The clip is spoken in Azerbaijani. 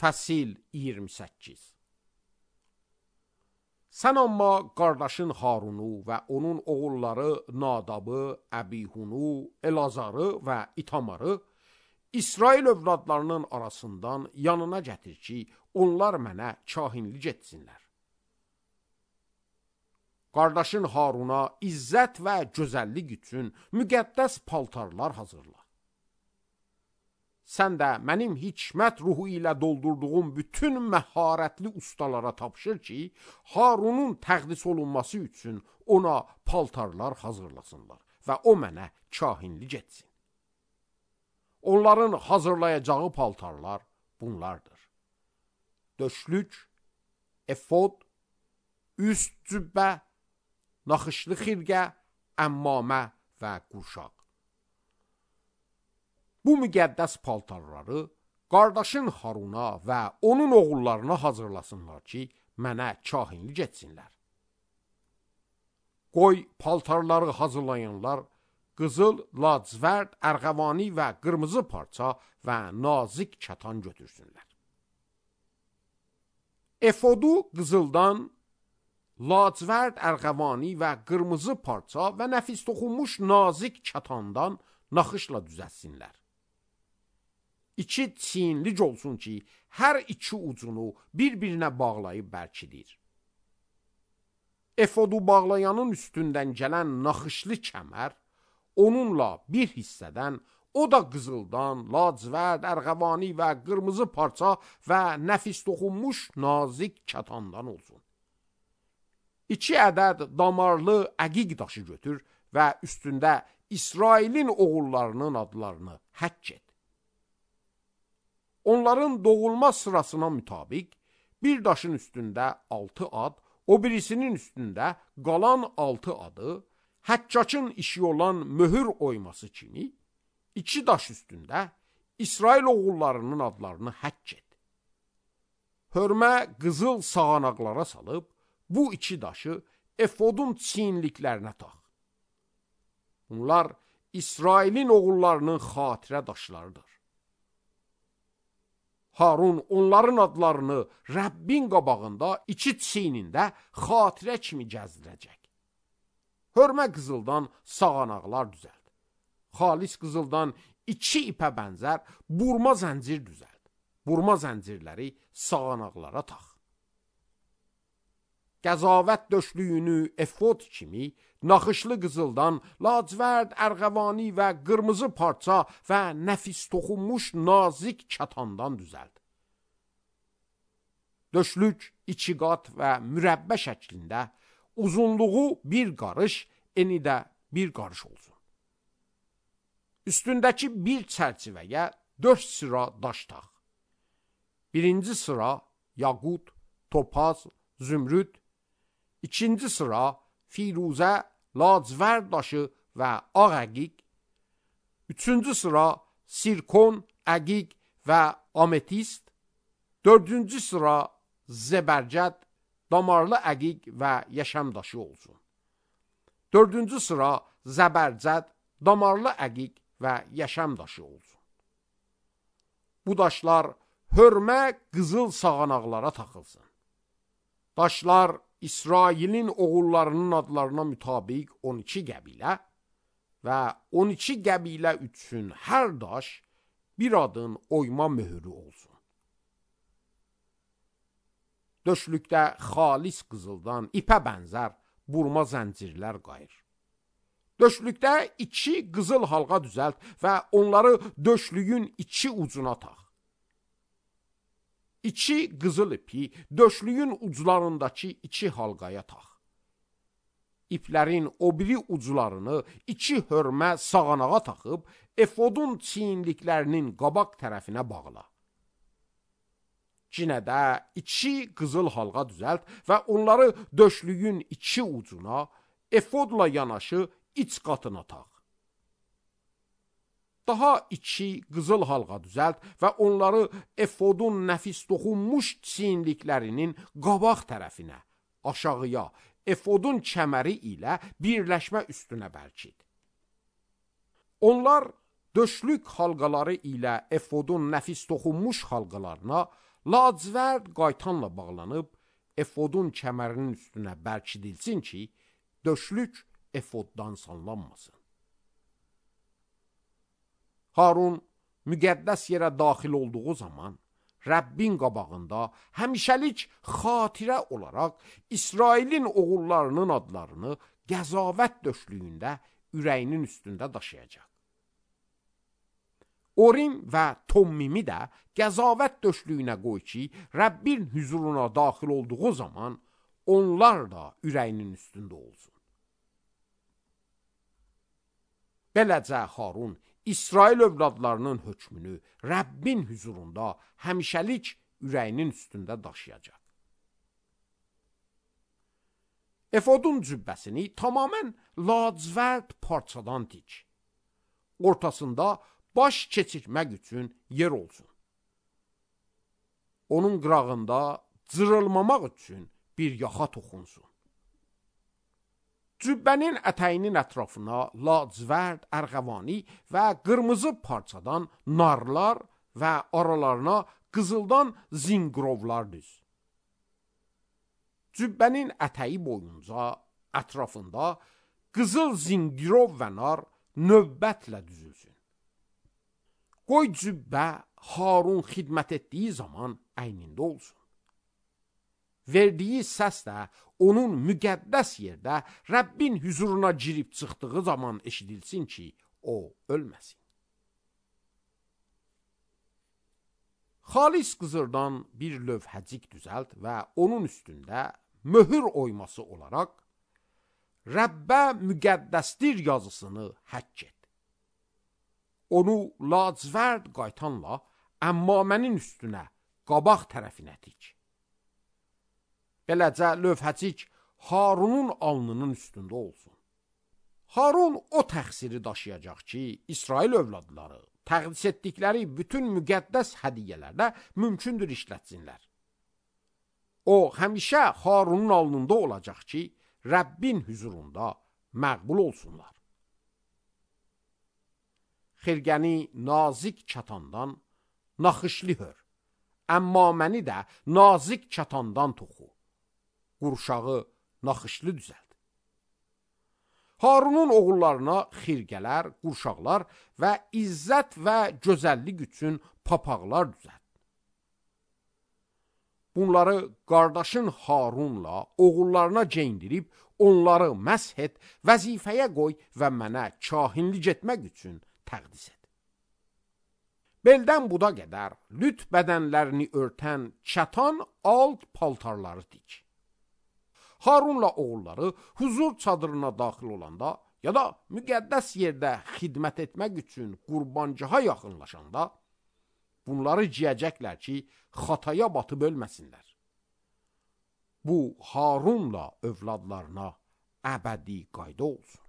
Fəsil 28. Sən amma qardaşın Harunu və onun oğulları Nadabı, Əbihunu, Elazarı və İtamarı İsrail övladlarının arasından yanına gətir ki, onlar mənə kahinlik etsinlər. Qardaşın Haruna izzət və gözəllik üçün müqəddəs paltarlar hazırla. Sən də mənim hikmət ruhu ilə doldurduğum bütün məharətli ustalara tapşır ki, Harunun təqdis olunması üçün ona paltarlar hazırlasınlar və o mənə kahinlik etsin. Onların hazırlayacağı paltarlar bunlardır: döşlük, efod, üst cübbə, naxışlı xirqə, əmmamə və qurşaq. Bu müqəddəs paltarları qardaşın Haruna və onun oğullarına hazırlasınlar ki, mənə kahinlik etsinlər. Qoy paltarları hazırlayanlar qızıl, lacivərd, ərğəvani və qırmızı parça və nazik kətan götürsünlər. Efodu qızıldan, lacivərd, ərğəvani və qırmızı parça və nəfis toxunmuş nazik kətandan naxışla düzətsinlər. İki çiyinlik olsun ki, hər iki ucunu bir-birinə bağlayıb bərkidir. Efodu bağlayanın üstündən gələn naxışlı kəmər, onunla bir hissədən, o da qızıldan, lacivərd, ərğəvani və qırmızı parça və nəfis toxunmuş nazik kətandan olsun. 2 ədəd damarlı əqiq daşı götür və üstündə İsrailin oğullarının adlarını həkk et. Onların doğulma sırasına mütabiq bir daşın üstündə 6 ad, o birisinin üstündə qalan 6 adı, həccacın işi olan möhür oyması kimi 2 daş üstündə İsrail oğullarının adlarını həkk et. Hörmə qızıl sağanaqlara salıb bu 2 daşı efodun çiyinliklərinə tax. Bunlar İsrailin oğullarının xatirə daşlarıdır. Harun onların adlarını Rəbbin qabağında 2 çiynində xatirə kimi gəzdirəcək. Hörmə qızıldan sağanaqlar düzəld. Xalis qızıldan 2 ipə bənzər burma zəncir düzəld. Burma zəncirləri sağanaqlara tax. Qəzavət döşlüyünü efod kimi naxışlı qızıldan, lacivərd, ərğəvani və qırmızı parça və nəfis toxunmuş nazik kətandan düzəld. Döşlük 2 qat və mürəbbə şəklində, uzunluğu 1 qarış, eni də 1 qarış olsun. Üstündəki bir çərçivəyə 4 sıra daş tax. Birinci sıra yaqut, topaz, zümrüd, İkinci sıra firuzə, lacivərd daşı və ağ əqiq, üçüncü sıra sirkon, əqiq və ametist, dördüncü sıra zəbərcəd, damarlı əqiq və yaşam daşı olsun. Dördüncü sıra zəbərcəd, damarlı əqiq və yaşam daşı olsun. Bu daşlar hörmə qızıl sağanaqlara taxılsın. Daşlar İsrailin oğullarının adlarına mütabiq 12 qəbilə və 12 qəbilə üçün hər daş bir adın oyma möhürü olsun. Döşlükdə xalis qızıldan ipə bənzər burma zəncirlər qayır. Döşlükdə 2 qızıl halqa düzəlt və onları döşlüyün 2 ucuna tax. 2 qızıl ipi döşlüyün uclarındakı 2 halqaya tax. İplərin o biri uclarını 2 hörmə sağanağa taxıb, efodun çiyinliklərinin qabaq tərəfinə bağla. Cinədə 2 qızıl halqa düzəlt və onları döşlüyün 2 ucuna, efodla yanaşı iç qatına tax. Daha 2 qızıl halqa düzəlt və onları efodun nəfis toxunmuş çiyinliklərinin qabaq tərəfinə, aşağıya, efodun kəməri ilə birləşmə üstünə bərkid. Onlar döşlük halqaları ilə efodun nəfis toxunmuş halqalarına, lacivərd qaytanla bağlanıb, efodun kəmərinin üstünə bərkidilsin ki, döşlük efoddan sallanmasın. Harun müqəddəs yerə daxil olduğu zaman, Rəbbin qabağında həmişəlik xatirə olaraq İsrailin oğullarının adlarını qəzavət döşlüyündə ürəyinin üstündə daşıyacaq. Orim və Tommimi də qəzavət döşlüyünə qoy ki, Rəbbin hüzuruna daxil olduğu zaman onlar da ürəyinin üstündə olsun. Beləcə Harun İsrail övladlarının hökmünü Rəbbin hüzurunda həmişəlik ürəyinin üstündə daşıyacaq. Efodun cübbəsini tamamən lacivərd parçadan tik. Ortasında baş keçirmək üçün yer olsun. Onun qırağında cırılmamaq üçün bir yaxa toxunsun. Cübbənin ətəyinin ətrafına lacivərd, ərğəvani və qırmızı parçadan narlar və aralarına qızıldan zinqrovlar düz. Cübbənin ətəyi boyunca ətrafında qızıl zinqrov və nar növbətlə düzülsün. Qoy cübbə Harun xidmət etdiyi zaman əynində olsun. Verdiyi səs də onun müqəddəs yerdə Rəbbin hüzuruna girib çıxdığı zaman eşidilsin ki, o ölməsin. Xalis qızırdan bir lövhəcik düzəlt və onun üstündə möhür oyması olaraq Rəbbə müqəddəsdir yazısını həkk et. Onu lacivərd qaytanla əmmamənin üstünə, qabaq tərəfinə tik. Beləcə lövhəcik Harunun alnının üstündə olsun. Harun o təqsiri daşıyacaq ki, İsrail övladları təqdis etdikləri bütün müqəddəs hədiyyələrdə mümkündür işlətsinlər. O, həmişə Harunun alnında olacaq ki, Rəbbin hüzurunda məqbul olsunlar. Xirgəni nazik çatandan naxışlı hör, əmmaməni də nazik çatandan toxu. Qurşağı naxışlı düzəld. Harunun oğullarına xirgələr, qurşaqlar və izzət və gözəllik üçün papaqlar düzəld. Bunları qardaşın Harunla oğullarına geyindirib, onları məsh et, vəzifəyə qoy və mənə kahinlik etmək üçün təqdis et. Beldən buda qədər lüt bədənlərini örtən çatan alt paltarları dik. Harunla oğulları huzur çadırına daxil olanda ya da müqəddəs yerdə xidmət etmək üçün qurbancaha yaxınlaşanda bunları giyəcəklər ki, xataya batıb ölməsinlər. Bu, Harunla övladlarına əbədi qayda olsun.